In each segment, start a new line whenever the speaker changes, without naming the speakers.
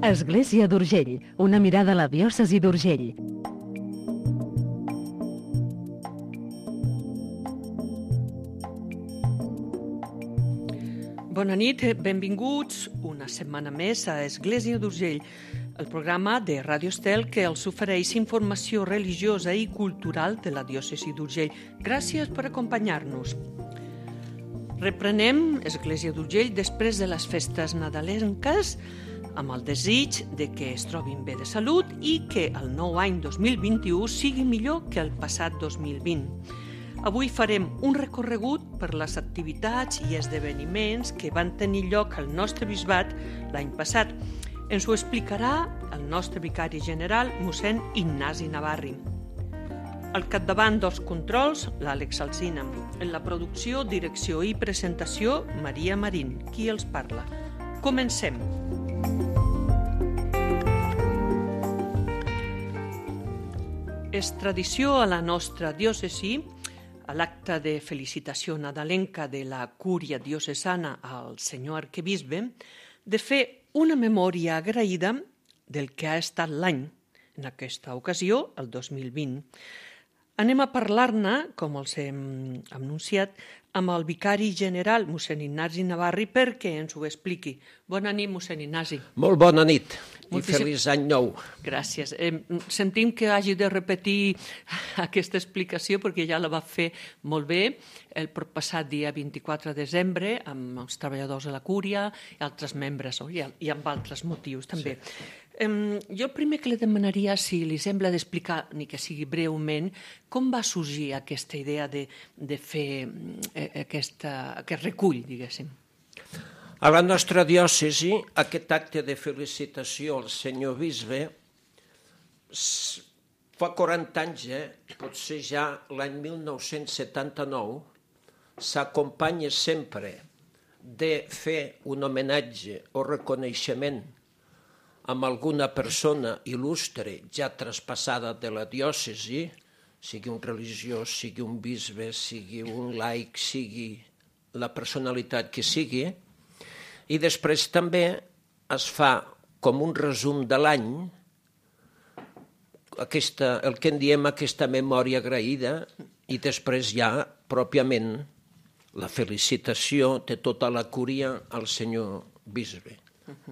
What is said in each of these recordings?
Església d'Urgell, una mirada a la diòcesi d'Urgell.
Bona nit, benvinguts una setmana més a Església d'Urgell, el programa de Ràdio Estel que els ofereix informació religiosa i cultural de la diòcesi d'Urgell. Gràcies per acompanyar-nos. Reprenem Església d'Urgell després de les festes nadalenques amb el desig de que es trobin bé de salut i que el nou any 2021 sigui millor que el passat 2020. Avui farem un recorregut per les activitats i esdeveniments que van tenir lloc al nostre bisbat l'any passat. Ens ho explicarà el nostre vicari general, mossèn Ignasi Navarri. Al capdavant dels controls, l'Àlex Alsina. En la producció, direcció i presentació, Maria Marín, qui els parla. Comencem. És tradició a la nostra diòcesi, a l'acte de felicitació nadalenca de la cúria diocesana al senyor arquebisbe, de fer una memòria agraïda del que ha estat l'any, en aquesta ocasió, el 2020. Anem a parlar-ne, com els hem anunciat, amb el vicari general, mossèn Ignasi Navarri, perquè ens ho expliqui. Bona nit, mossèn Ignasi.
Molt bona nit i feliç any nou.
Gràcies. Sentim que hagi de repetir aquesta explicació perquè ja la va fer molt bé el passat dia 24 de desembre amb els treballadors de la cúria i altres membres i amb altres motius també. Sí. Jo el primer que li demanaria, si li sembla d'explicar, ni que sigui breument, com va sorgir aquesta idea de fer aquest recull, diguéssim.
A la nostra diòcesi, aquest acte de felicitació al senyor bisbe fa 40 anys, potser ja l'any 1979, s'acompanya sempre de fer un homenatge o reconeixement amb alguna persona il·lustre ja traspassada de la diòcesi, sigui un religiós, sigui un bisbe, sigui un laic, sigui la personalitat que sigui, i després també es fa com un resum de l'any, el que en diem aquesta memòria agraïda, i després ja pròpiament la felicitació de tota la cúria al senyor bisbe.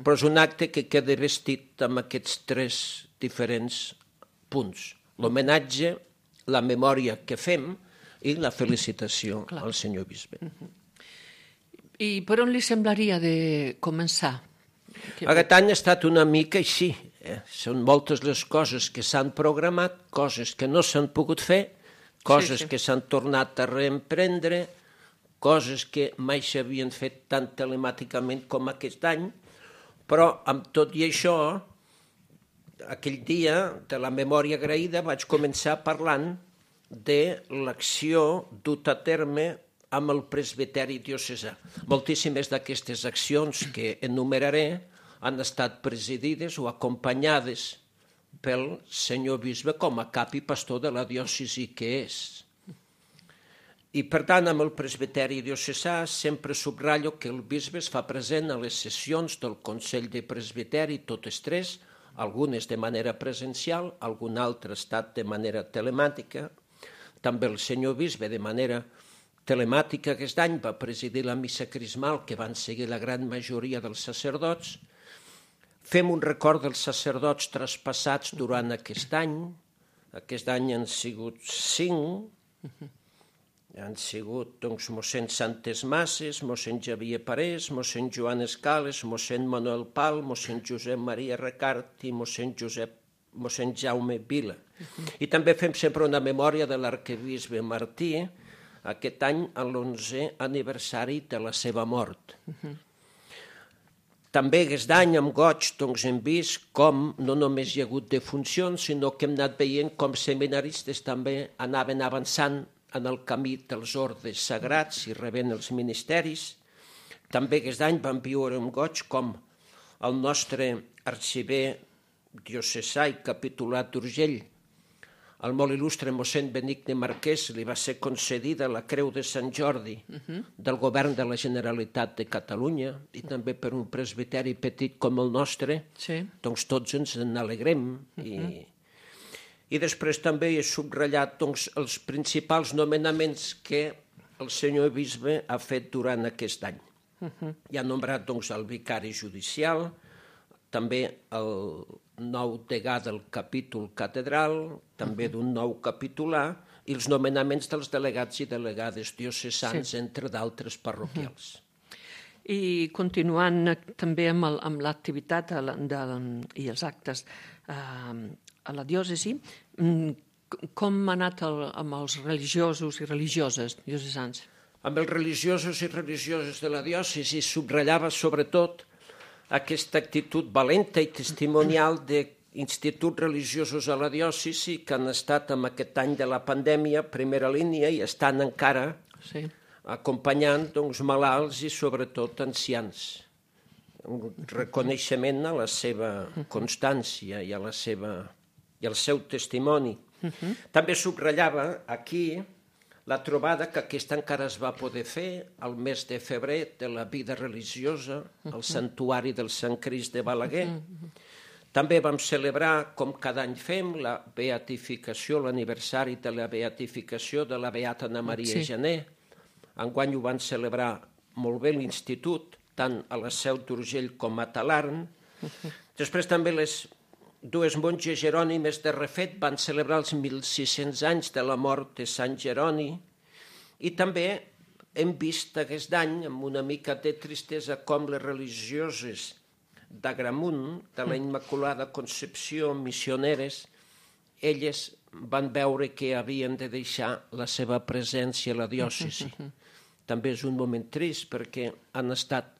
Però és un acte que queda vestit amb aquests 3 diferents punts. L'homenatge, la memòria que fem i la felicitació al senyor bisbe.
I per on li semblaria de començar?
Aquest any ha estat una mica així. Són moltes les coses que s'han programat, coses que no s'han pogut fer, coses que s'han tornat a reemprendre, coses que mai s'havien fet tan telemàticament com aquest any, però amb tot i això, aquell dia de la memòria agraïda vaig començar parlant de l'acció duta a terme amb el presbiteri diocesà. Moltíssimes d'aquestes accions que enumeraré han estat presidides o acompanyades pel senyor bisbe com a cap i pastor de la diòcesi que és. I, per tant, amb el presbiteri diocesà sempre subratllo que el bisbe es fa present a les sessions del Consell de Presbiteri, totes 3, algunes de manera presencial, algun altre estat de manera telemàtica. També el senyor bisbe de manera telemàtica aquest any va presidir la missa crismal que van seguir la gran majoria dels sacerdots. Fem un record dels sacerdots traspassats durant aquest any. Aquest any han sigut 5. Han sigut mossèn Santes Masses, mossèn Xavier Parés, mossèn Joan Escales, mossèn Manuel Pal, mossèn Josep Maria Recart i mossèn Jaume Vila. I també fem sempre una memòria de l'arquebisbe Martí, aquest any a l'11è aniversari de la seva mort. També aquest any amb goig hem vist com no només hi ha hagut defuncions, sinó que hem anat veient com seminaristes també anaven avançant en el camí dels ordes sagrats i rebent els ministeris. També aquest any vam viure amb goig com el nostre arxiver diocesà i capitulat d'Urgell, al molt il·lustre mossèn Benigne Marquès li va ser concedida la Creu de Sant Jordi del govern de la Generalitat de Catalunya i també per un presbiteri petit com el nostre, doncs tots ens n'alegrem. I després també he subratllat els principals nomenaments que el senyor bisbe ha fet durant aquest any. I ha nombrat el vicari judicial, també el nou degà del capítol catedral, també d'un nou capitulà, i els nomenaments dels delegats i delegades diocesans, entre d'altres parroquials.
I continuant també amb l'activitat i els actes a la diòcesi, com ha anat amb els religiosos i religioses diocesans?
Amb els religiosos i religioses de la diòcesi subratllava sobretot aquesta actitud valenta i testimonial d'instituts religiosos a la diòcesi que han estat en aquest any de la pandèmia primera línia i estan encara acompanyant malalts i sobretot ancians. Un reconeixement a la seva constància i al seu testimoni. També subratllava aquí la trobada que aquesta encara es va poder fer al mes de febrer de la vida religiosa al Santuari del Sant Crist de Balaguer. També vam celebrar, com cada any fem, la beatificació, l'aniversari de la beatificació de la Beata Anna Maria Gené. Enguany ho van celebrar molt bé l'Institut, tant a la Seu d'Urgell com a Talarn. Després també les dues monges jerònimes de refet van celebrar els 1.600 anys de la mort de Sant Jeroni i també hem vist aquest any, amb una mica de tristesa, com les religioses d'Agramunt, de la Immaculada Concepció, missioneres, elles van veure que havien de deixar la seva presència a la diòcesi. També és un moment trist perquè han estat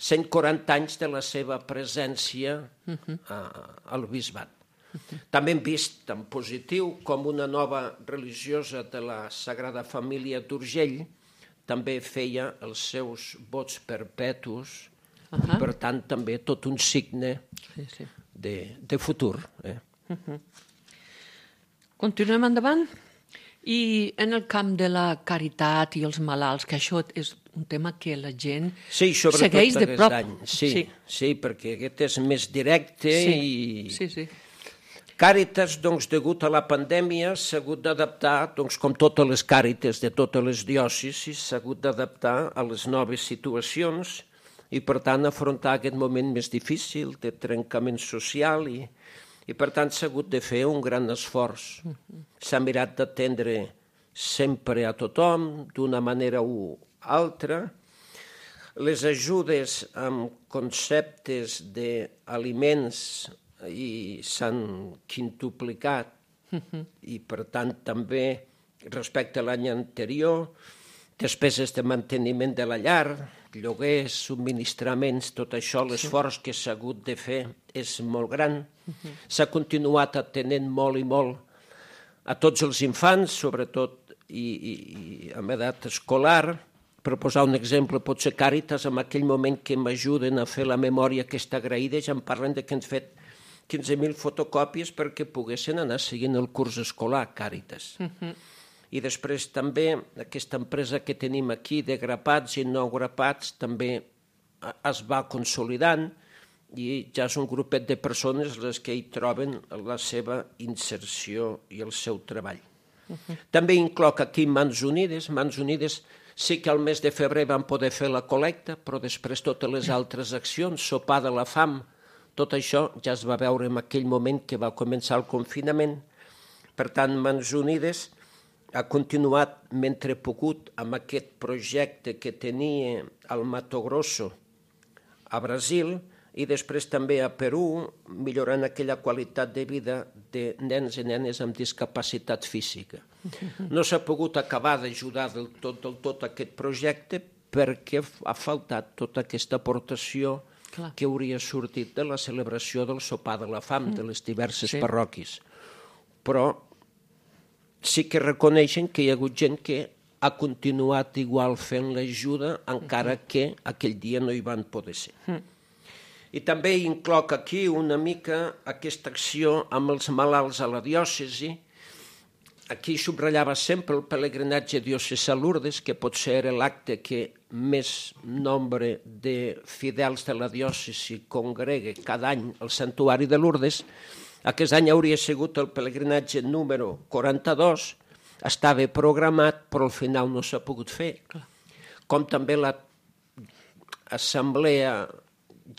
140 anys de la seva presència al bisbat. També hem vist en positiu com una nova religiosa de la Sagrada Família d'Urgell també feia els seus vots perpetus, per tant també tot un signe de futur.
Continuem endavant? I en el camp de la caritat i els malalts, que això és un tema que la gent segueix de prop.
Sí, perquè aquest és més directe i... Càritas, degut a la pandèmia, s'ha hagut d'adaptar, com totes les càrites de totes les diòcesis, s'ha hagut d'adaptar a les noves situacions i, per tant, afrontar aquest moment més difícil de trencament social i per tant, s'ha hagut de fer un gran esforç. S'ha mirat d'atendre sempre a tothom, d'una manera o altra. Les ajudes amb conceptes d'aliments s'han quintuplicat i, per tant, també respecte a l'any anterior, despeses de manteniment de la llar, lloguers, subministraments, tot això, l'esforç que s'ha hagut de fer és molt gran. S'ha continuat atenent molt i molt a tots els infants, sobretot i amb edat escolar. Per posar un exemple, potser Càritas, en aquell moment que m'ajuden a fer la memòria aquesta agraïda, ja em parlen que han fet 15.000 fotocòpies perquè poguessin anar seguint el curs escolar, Càritas. I després també aquesta empresa que tenim aquí de grapats i no grapats també es va consolidant i ja és un grupet de persones les que hi troben la seva inserció i el seu treball. També incloc aquí Mans Unides. Mans Unides sí que al mes de febrer van poder fer la col·lecta, però després totes les altres accions, sopar de la fam, tot això ja es va veure en aquell moment que va començar el confinament. Per tant, Mans Unides ha continuat mentre pogut amb aquest projecte que tenia al Mato Grosso a Brasil i després també a Perú, millorant aquella qualitat de vida de nens i nenes amb discapacitat física. No s'ha pogut acabar d'ajudar del tot aquest projecte perquè ha faltat tota aquesta aportació que hauria sortit de la celebració del sopar de la fam de les diverses parròquies. Però sí que reconeixen que hi ha hagut gent que ha continuat igual fent l'ajuda encara que aquell dia no hi van poder ser. I també incloc aquí una mica aquesta acció amb els malalts a la diòcesi Aquí subratllava sempre el pelegrinatge diocesà a Lourdes, que potser era l'acte que més nombre de fidels de la diòcesi congrega cada any al santuari de Lourdes. Aquest any hauria sigut el pelegrinatge número 42, estava programat, però al final no s'ha pogut fer. Com també l'Assemblea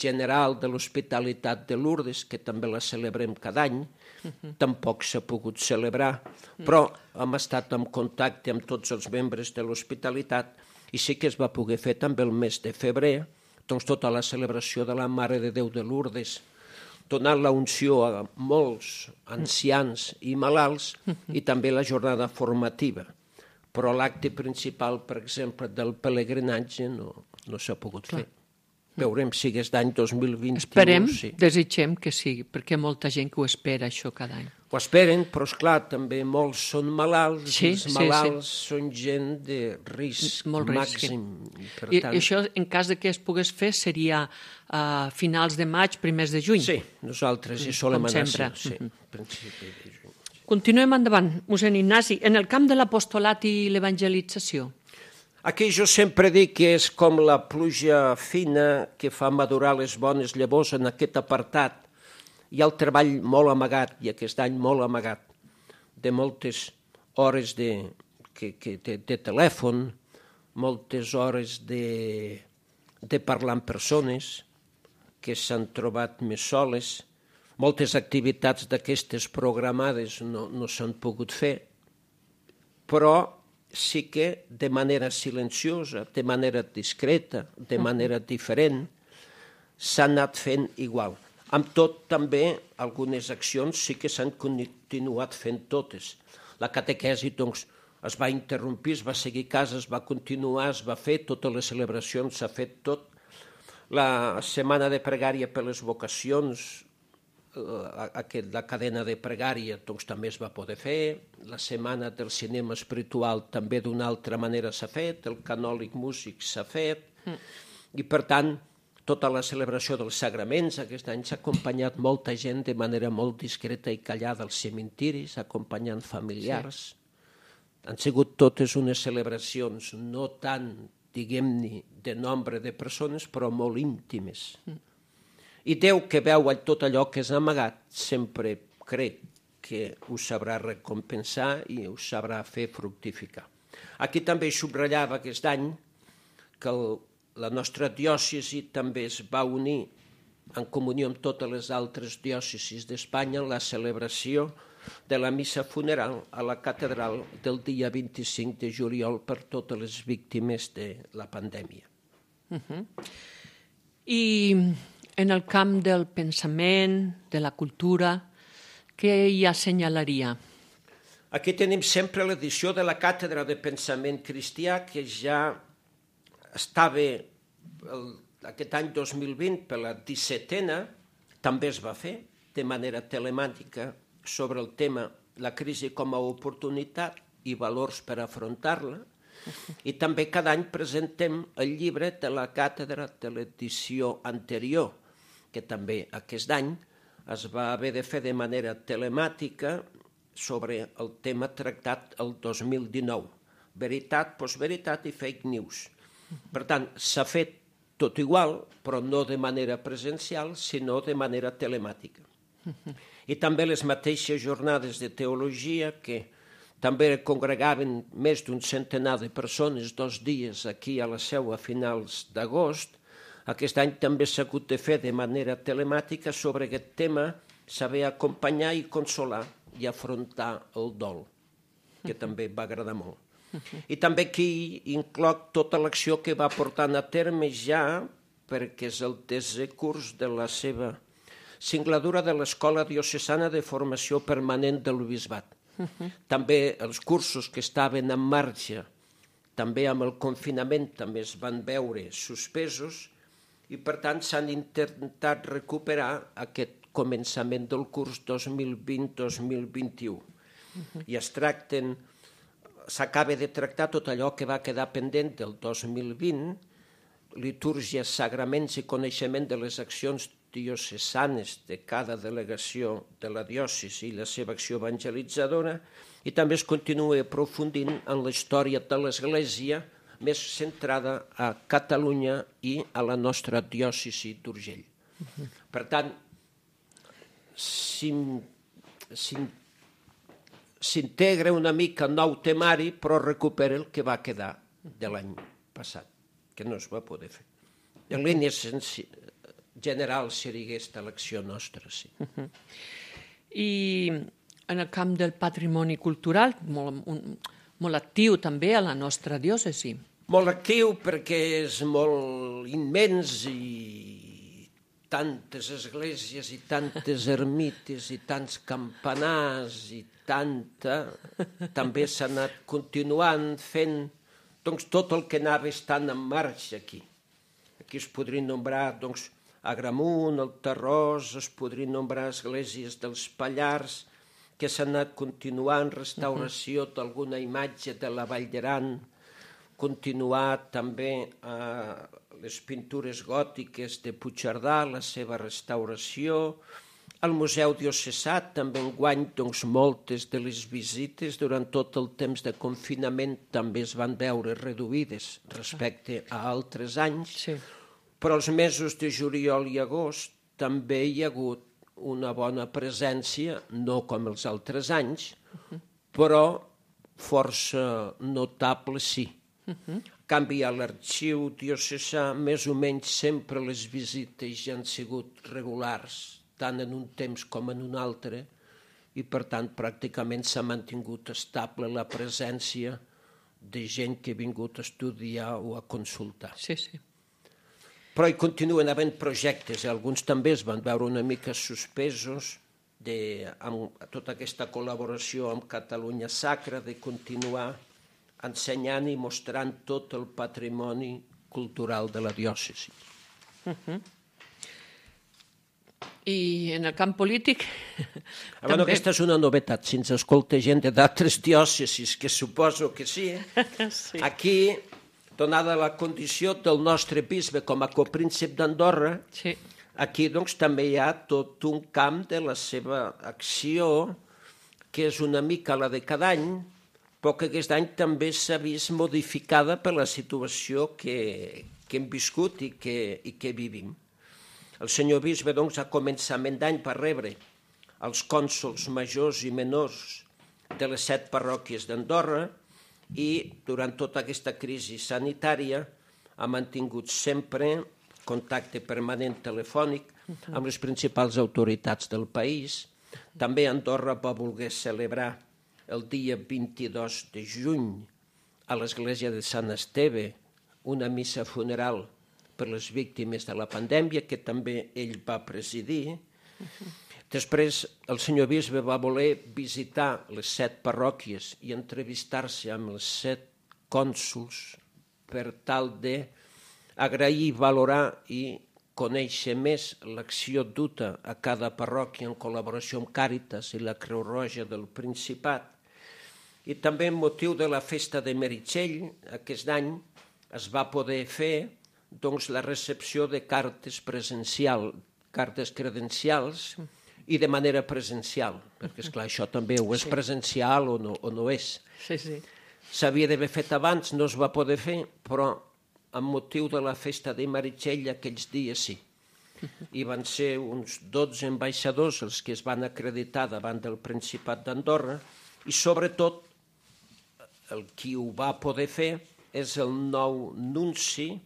General de l'Hospitalitat de Lourdes, que també la celebrem cada any, tampoc s'ha pogut celebrar, però hem estat en contacte amb tots els membres de l'Hospitalitat i sí que es va poder fer també el mes de febrer, doncs tota la celebració de la Mare de Déu de Lourdes, donant la unció a molts ancians i malalts i també la jornada formativa. Però l'acte principal, per exemple, del pelegrinatge no s'ha pogut fer. Veurem si aquest any 2021...
Esperem, desitgem que sigui, perquè hi ha molta gent que ho espera, això, cada any.
Ho esperen, però, esclar, també molts són malalts, i els malalts són gent de risc màxim.
I això, en cas de que es pogués fer, seria a finals de maig, primers de juny?
Sí, nosaltres hi solem anar.
Com sempre.
Sí, principi de juny.
Continuem endavant, mossèn Ignasi. En el camp de l'apostolat i l'evangelització,
aquí jo sempre dic que és com la pluja fina que fa madurar les bones llavors en aquest apartat. Hi ha el treball molt amagat, i aquest any molt amagat, de moltes hores de telèfon, moltes hores de parlar amb persones que s'han trobat més soles, moltes activitats d'aquestes programades no s'han pogut fer, però sí que de manera silenciosa, de manera discreta, de manera diferent, s'ha anat fent igual. Amb tot, també, algunes accions sí que s'han continuat fent totes. La catequesi, doncs, es va interrompir, es va seguir a casa, es va continuar, es va fer, totes les celebracions s'ha fet tot. La setmana de pregària per les vocacions, la cadena de pregària doncs, també es va poder fer, la setmana del cinema espiritual també d'una altra manera s'ha fet, el canòlic músic s'ha fet, i per tant tota la celebració dels sagraments aquest any s'ha acompanyat molta gent de manera molt discreta i callada als cementiris, acompanyant familiars. Sí. Han sigut totes unes celebracions no tant, diguem-ne, de nombre de persones, però molt íntimes. I Déu, que veu tot allò que és amagat, sempre crec que ho sabrà recompensar i ho sabrà fer fructificar. Aquí també subratllava aquest any que la nostra diòcesi també es va unir en comunió amb totes les altres diòcesis d'Espanya en la celebració de la missa funeral a la catedral del dia 25 de juliol per totes les víctimes de la pandèmia.
I en el camp del pensament, de la cultura, què hi assenyalaria?
Aquí tenim sempre l'edició de la Càtedra de Pensament Cristià, que ja estava aquest any 2020 per la 17a, també es va fer de manera telemàtica sobre el tema la crisi com a oportunitat i valors per afrontar-la, i també cada any presentem el llibre de la càtedra de l'edició anterior, que també aquest any es va haver de fer de manera telemàtica sobre el tema tractat el 2019. Veritat, postveritat i fake news. Per tant, s'ha fet tot igual, però no de manera presencial, sinó de manera telemàtica. I també les mateixes jornades de teologia, que també congregaven més d'un centenar de persones 2 dies aquí a la Seu a finals d'agost, aquest any també s'ha hagut de fer de manera telemàtica sobre aquest tema, saber acompanyar i consolar i afrontar el dol, que també va agradar molt. I també aquí incloc tota l'acció que va portant a terme ja, perquè és el 10è curs de la seva singladura de l'Escola Diocesana de Formació Permanent del Bisbat. També els cursos que estaven en marxa, també amb el confinament, també es van veure suspesos, i per tant s'han intentat recuperar aquest començament del curs 2020-2021. I s'acaba de tractar tot allò que va quedar pendent del 2020, litúrgia, sagraments i coneixement de les accions diocesanes de cada delegació de la diòcesi i la seva acció evangelitzadora, i també es continua aprofundint en la història de l'Església més centrada a Catalunya i a la nostra diòcesi d'Urgell. Per tant, s'integra una mica nou temari, però recupera el que va quedar de l'any passat, que no es va poder fer. En línies generals seria aquesta l'acció nostra, sí.
I en el camp del patrimoni cultural, molt actiu també a la nostra diòcesi.
Molt actiu perquè és molt immens i tantes esglésies i tantes ermites i tants campanars i també s'ha anat continuant fent doncs, tot el que anava estant en marxa aquí. Aquí es podrien nombrar doncs, Agramunt, el Tarròs, es podrien nombrar esglésies dels Pallars, que s'ha anat continuant, restauració d'alguna imatge de la Vall d'Aran, continuar també les pintures gòtiques de Puigcerdà, la seva restauració, al Museu Diocesà també enguany doncs, moltes de les visites durant tot el temps de confinament també es van veure reduïdes respecte a altres anys, però els mesos de juliol i agost també hi ha hagut una bona presència, no com els altres anys, però força notable sí. En canvi, a l'arxiu diocesà, més o menys sempre les visites ja han sigut regulars, tant en un temps com en un altre, i per tant pràcticament s'ha mantingut estable la presència de gent que ha vingut a estudiar o a consultar.
Sí, sí.
Però hi continuen havent projectes, alguns també es van veure una mica suspesos amb tota aquesta col·laboració amb Catalunya Sacra, de continuar ensenyant i mostrant tot el patrimoni cultural de la diòcesi.
I en el camp polític
també... Aquesta és una novetat, si ens escolta gent d'altres diòcesis, que suposo que sí. Aquí... donada la condició del nostre bisbe com a copríncep d'Andorra, aquí doncs, també hi ha tot un camp de la seva acció, que és una mica la de cada any, però que aquest any també s'ha vist modificada per la situació que hem viscut i que vivim. El senyor bisbe doncs, a començament d'any va rebre els cònsols majors i menors de les 7 parròquies d'Andorra, i durant tota aquesta crisi sanitària ha mantingut sempre contacte permanent telefònic amb les principals autoritats del país. També Andorra va voler celebrar el dia 22 de juny a l'església de Sant Esteve una missa funeral per les víctimes de la pandèmia, que també ell va presidir. Després, el senyor bisbe va voler visitar les 7 parròquies i entrevistar-se amb els 7 cònsols per tal d'agrair, valorar i conèixer més l'acció duta a cada parròquia en col·laboració amb Càritas i la Creu Roja del Principat. I també amb motiu de la festa de Meritxell, aquest any es va poder fer doncs, la recepció de cartes credencials, i de manera presencial, perquè, esclar, això també o és presencial o no és. S'havia d'haver fet abans, no es va poder fer, però amb motiu de la festa de Meritxell aquells dies sí. I van ser uns 12 ambaixadors els que es van acreditar davant del Principat d'Andorra, i sobretot el qui ho va poder fer és el nou nunci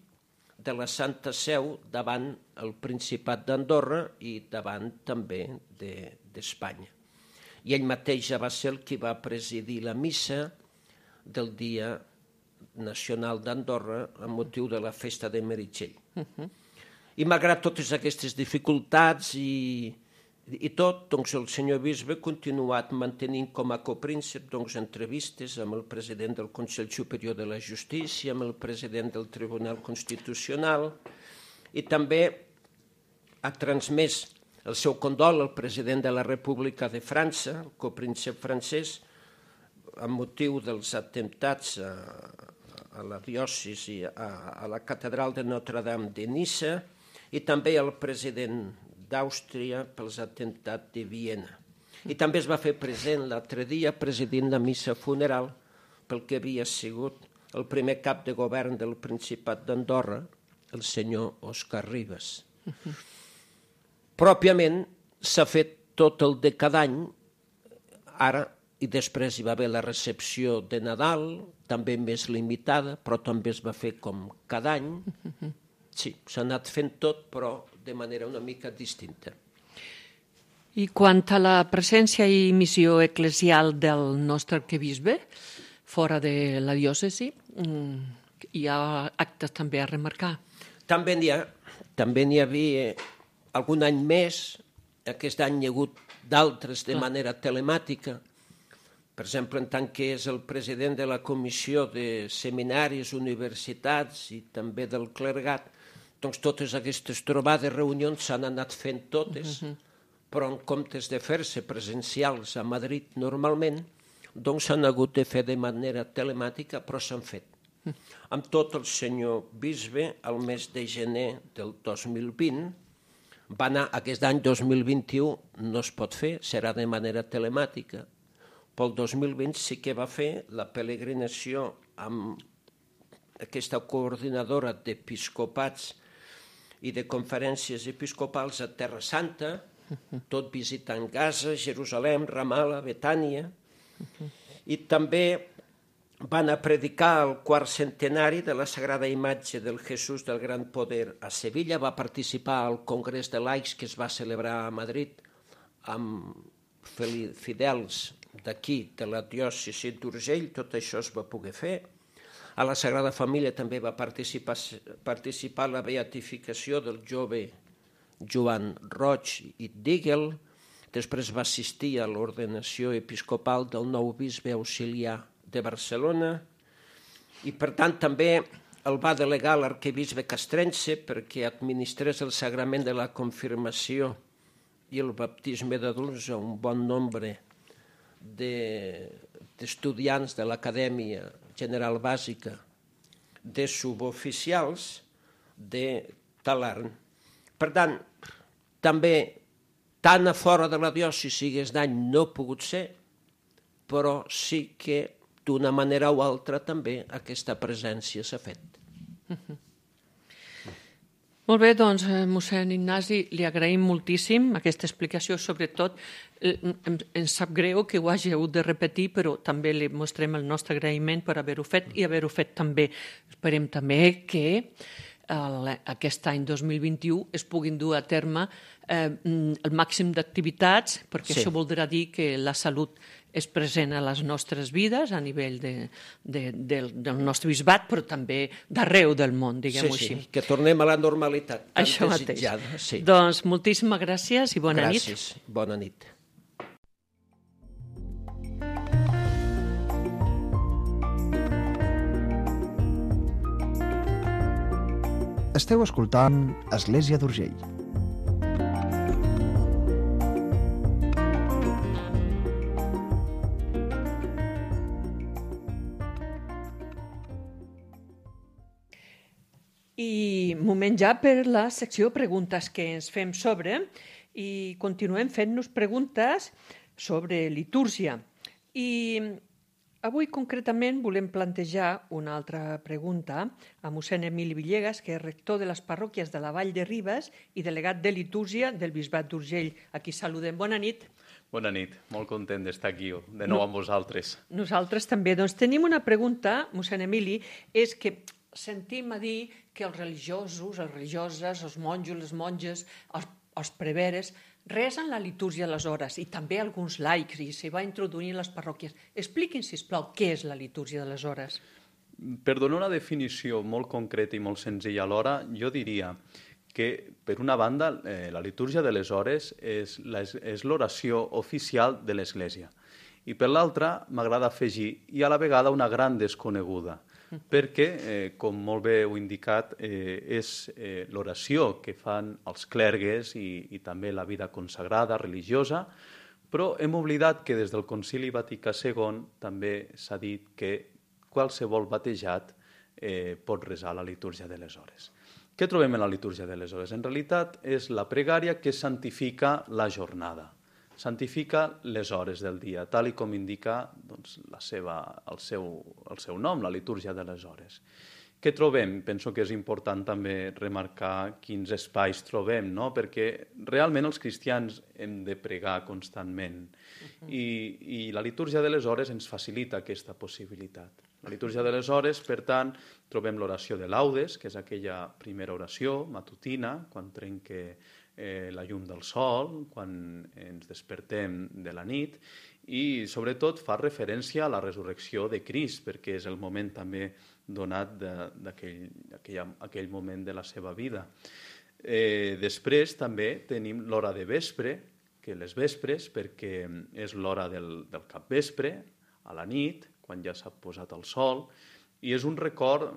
de la Santa Seu davant el Principat d'Andorra i davant també d'Espanya. I ell mateix ja va ser el qui va presidir la missa del Dia Nacional d'Andorra amb motiu de la festa de Meritxell. I malgrat totes aquestes dificultats i tot, doncs el senyor bisbe ha continuat mantenint com a copríncep entrevistes amb el president del Consell Superior de la Justícia, amb el president del Tribunal Constitucional, i també ha transmès el seu condol al president de la República de França, el copríncep francès, amb motiu dels atemptats a la diòcesi, a la catedral de Notre-Dame de Niça, i també el president d'Àustria pels atemptats de Viena. I també es va fer present l'altre dia presidint la missa funeral pel que havia sigut el primer cap de govern del Principat d'Andorra, el senyor Òscar Ribas. Pròpiament s'ha fet tot el de cada any, ara i després hi va haver la recepció de Nadal, també més limitada, però també es va fer com cada any. Sí, s'ha anat fent tot, però de manera una mica distinta.
I quant a la presència i missió eclesial del nostre arquebisbe, fora de la diòcesi, hi ha actes també a remarcar.
També n'hi havia algun any més, aquest any hi ha hagut d'altres de manera telemàtica. Per exemple, en tant que és el president de la Comissió de Seminaris, Universitats i també del clergat, doncs totes aquestes trobades, reunions s'han anat fent totes, però en comptes de fer-se presencials a Madrid normalment, doncs s'han hagut de fer de manera telemàtica, però s'han fet. Amb tot el senyor bisbe, al mes de gener del 2020, va anar, aquest any 2021 no es pot fer, serà de manera telemàtica. Pel 2020 sí que va fer la peregrinació amb aquesta coordinadora d'episcopats i de conferències episcopals a Terra Santa, tot visitant Gaza, Jerusalem, Ramallah, Betània, i també va anar a predicar el quart centenari de la Sagrada Imatge del Jesús del Gran Poder a Sevilla, va participar al Congrés de Laics que es va celebrar a Madrid amb fidels d'aquí, de la diòcesi d'Urgell, tot això es va poder fer. A la Sagrada Família també va participar en la beatificació del jove Joan Roig i Díguel, després va assistir a l'ordenació episcopal del nou bisbe auxiliar de Barcelona i, per tant, també el va delegar l'arquebisbe castrense perquè administrés el sagrament de la confirmació i el baptisme d'adults a un bon nombre d'estudiants de l'Acadèmia General Bàsica de suboficials de Talarn. Per tant, també tant a fora de la diòcesi aquest any no ha pogut ser, però sí que d'una manera o altra també aquesta presència s'ha fet.
Molt bé, doncs, mossèn Ignasi, li agraïm moltíssim aquesta explicació, sobretot ens sap greu que ho hagi hagut de repetir, però també li mostrem el nostre agraïment per haver-ho fet i haver-ho fet també. Esperem també que aquest any 2021 es puguin dur a terme el màxim d'activitats, perquè això voldrà dir que la salut és present a les nostres vides a nivell del nostre bisbat, però també d'arreu del món, diguem-ho així.
Sí, que tornem a la normalitat tan
això
desitjada.
Mateix. Doncs moltíssimes gràcies i bona nit.
Gràcies, bona nit.
Esteu escoltant Església d'Urgell.
I moment ja per la secció preguntes que ens fem sobre i continuem fent-nos preguntes sobre litúrgia. I avui concretament volem plantejar una altra pregunta a mossèn Emili Villegas, que és rector de les parròquies de la Vall de Ribes i delegat de litúrgia del Bisbat d'Urgell. Aquí saludem. Bona nit.
Bona nit, molt content d'estar aquí de nou amb vosaltres.
Nosaltres també. Doncs tenim una pregunta, mossèn Emili, és que sentim a dir que els religiosos, les religioses, els monjos, les monges, els preveres, resen la litúrgia a les hores i també alguns laics i s'hi va introduir en les parròquies. Expliquin, sisplau, què és la litúrgia de les hores.
Per donar una definició molt concreta i molt senzilla alhora, jo diria que, per una banda, la litúrgia de les hores és l'oració oficial de l'Església. I per l'altra, m'agrada afegir, i a la vegada una gran desconeguda, perquè, com molt bé heu indicat, és l'oració que fan els clergues i també la vida consagrada, religiosa, però hem oblidat que des del Concili Vaticà II també s'ha dit que qualsevol batejat pot resar la litúrgia de les hores. Què trobem en la litúrgia de les hores? En realitat és la pregària que santifica la jornada, santifica les hores del dia, tal i com indica doncs, el seu nom, la litúrgia de les hores. Què trobem? Penso que és important també remarcar quins espais trobem, no? Perquè realment els cristians hem de pregar constantment i la litúrgia de les hores ens facilita aquesta possibilitat. La litúrgia de les hores, per tant, trobem l'oració de laudes, que és aquella primera oració matutina, quan trenca la llum del sol, quan ens despertem de la nit, i sobretot fa referència a la resurrecció de Crist, perquè és el moment també donat d'aquell moment de la seva vida. Després també tenim l'hora de vespre, que les vespres, perquè és l'hora del capvespre, a la nit, quan ja s'ha posat el sol, i és un record,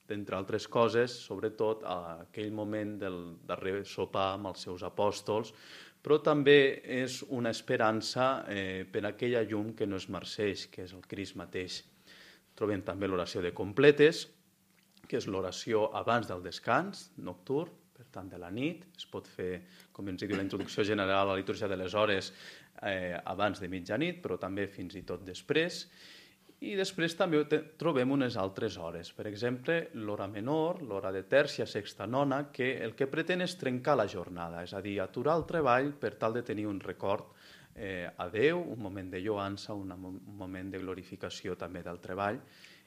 d'entre altres coses, sobretot a aquell moment del darrer sopar amb els seus apòstols, però també és una esperança per aquella llum que no es marceix, que és el Crist mateix. Trobem també l'oració de completes, que és l'oració abans del descans nocturn, per tant de la nit. Es pot fer, com ens diu la introducció general a la litúrgia de les hores, abans de mitjanit, però també fins i tot després. I després també trobem unes altres hores. Per exemple, l'hora menor, l'hora de tèrcia, sexta, nona, que el que pretén és trencar la jornada, és a dir, aturar el treball per tal de tenir un record a Déu, un moment de lloança, un moment de glorificació també del treball.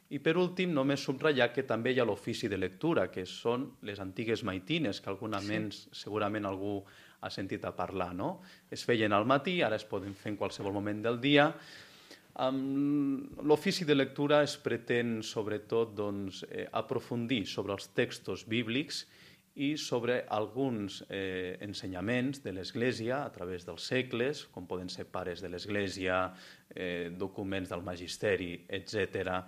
I per últim, només subratllar que també hi ha l'ofici de lectura, que són les antigues maitines, que segurament algú ha sentit a parlar, no? Es feien al matí, ara es poden fer en qualsevol moment del dia. Amb l'ofici de lectura es pretén, sobretot, aprofundir sobre els textos bíblics i sobre alguns ensenyaments de l'Església a través dels segles, com poden ser pares de l'Església, documents del magisteri, etc.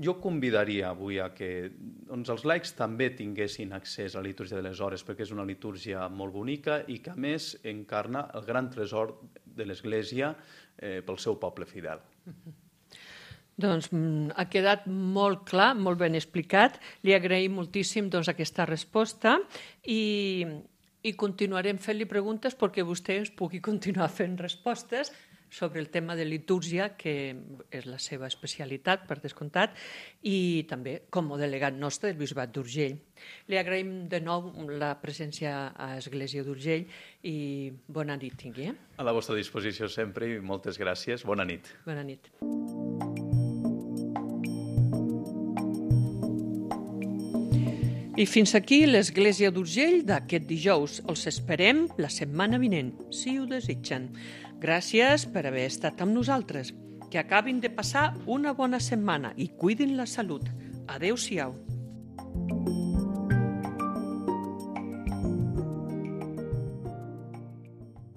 Jo convidaria avui a que els laics també tinguessin accés a la litúrgia de les hores, perquè és una litúrgia molt bonica i que, a més, encarna el gran tresor de l'Església pel seu poble fidel.
Doncs ha quedat molt clar, molt ben explicat. Li agraïm moltíssim aquesta resposta i continuarem fent-li preguntes perquè vostè ens pugui continuar fent respostes sobre el tema de litúrgia, que és la seva especialitat, per descomptat, i també com a delegat nostre del Bisbat d'Urgell. Li agraïm de nou la presència a Església d'Urgell i bona nit tingui.
A la vostra disposició sempre i moltes gràcies. Bona nit.
Bona nit. I fins aquí l'Església d'Urgell d'aquest dijous. Els esperem la setmana vinent, si ho desitgen. Gràcies per haver estat amb nosaltres. Que acabin de passar una bona setmana i cuidin la salut. Adéu-siau.